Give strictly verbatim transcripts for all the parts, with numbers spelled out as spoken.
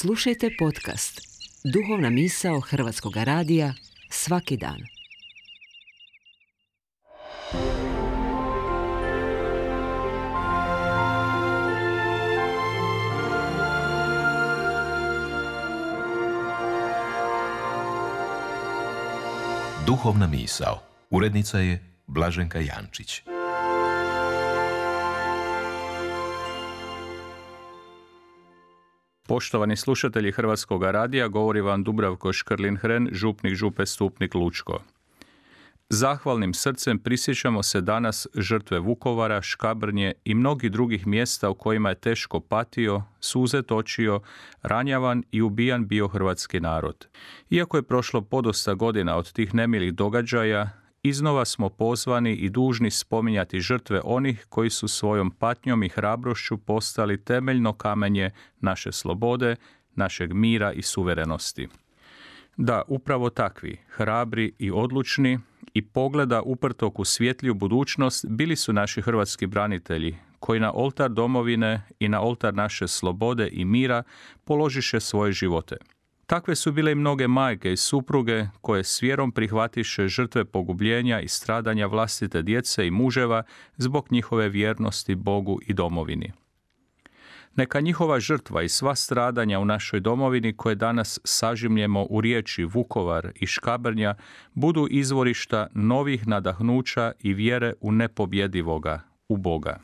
Slušajte podcast Duhovna misao Hrvatskog radija svaki dan. Duhovna misao. Urednica je Blaženka Jančić. Poštovani slušatelji Hrvatskog radija, govori vam Dubravko Škrlin-Hren, župnik Župe Stupnik Lučko. Zahvalnim srcem prisjećamo se danas žrtve Vukovara, Škabrnje i mnogih drugih mjesta u kojima je teško patio, suze točio, ranjavan i ubijan bio hrvatski narod. Iako je prošlo podosta godina od tih nemilih događaja, iznova smo pozvani i dužni spominjati žrtve onih koji su svojom patnjom i hrabrošću postali temeljno kamenje naše slobode, našeg mira i suverenosti. Da, upravo takvi, hrabri i odlučni i pogleda uprtog u svjetliju budućnost bili su naši hrvatski branitelji, koji na oltar domovine i na oltar naše slobode i mira položiše svoje živote. Takve su bile i mnoge majke i supruge koje s vjerom prihvatiše žrtve pogubljenja i stradanja vlastite djece i muževa zbog njihove vjernosti Bogu i domovini. Neka njihova žrtva i sva stradanja u našoj domovini koje danas sažimljemo u riječi Vukovar i Škabrnja budu izvorišta novih nadahnuća i vjere u nepobjedivoga, u Boga.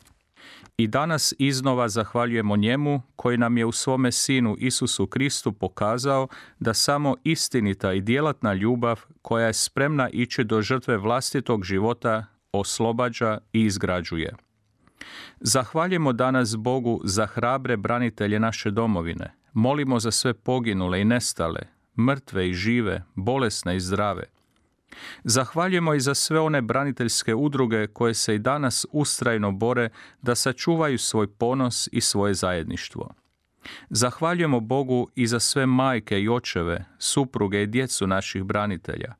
I danas iznova zahvaljujemo njemu koji nam je u svome Sinu Isusu Kristu pokazao da samo istinita i djelatna ljubav koja je spremna ići do žrtve vlastitog života oslobađa i izgrađuje. Zahvaljujemo danas Bogu za hrabre branitelje naše domovine. Molimo za sve poginule i nestale, mrtve i žive, bolesne i zdrave. Zahvaljujemo i za sve one braniteljske udruge koje se i danas ustrajno bore da sačuvaju svoj ponos i svoje zajedništvo. Zahvaljujemo Bogu i za sve majke i očeve, supruge i djecu naših branitelja.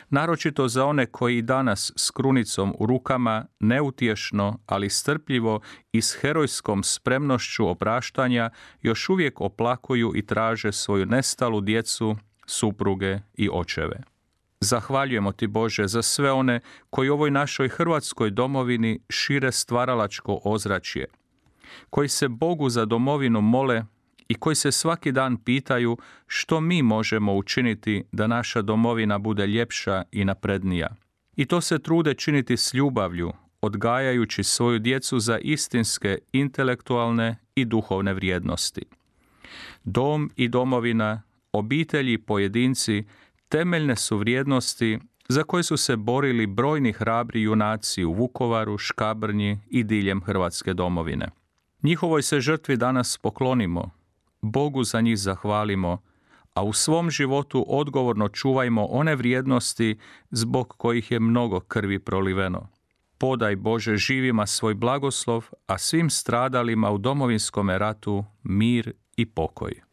Naročito za one koji i danas s krunicom u rukama neutješno, ali strpljivo i s herojskom spremnošću opraštanja još uvijek oplakuju i traže svoju nestalu djecu, supruge i očeve. Zahvaljujemo ti, Bože, za sve one koji u ovoj našoj hrvatskoj domovini šire stvaralačko ozračje, koji se Bogu za domovinu mole i koji se svaki dan pitaju što mi možemo učiniti da naša domovina bude ljepša i naprednija. I to se trude činiti s ljubavlju, odgajajući svoju djecu za istinske, intelektualne i duhovne vrijednosti. Dom i domovina, obitelji i pojedinci temeljne su vrijednosti za koje su se borili brojni hrabri junaci u Vukovaru, Škabrnji i diljem Hrvatske domovine. Njihovoj se žrtvi danas poklonimo, Bogu za njih zahvalimo, a u svom životu odgovorno čuvajmo one vrijednosti zbog kojih je mnogo krvi proliveno. Podaj, Bože, živima svoj blagoslov, a svim stradalima u Domovinskome ratu mir i pokoj.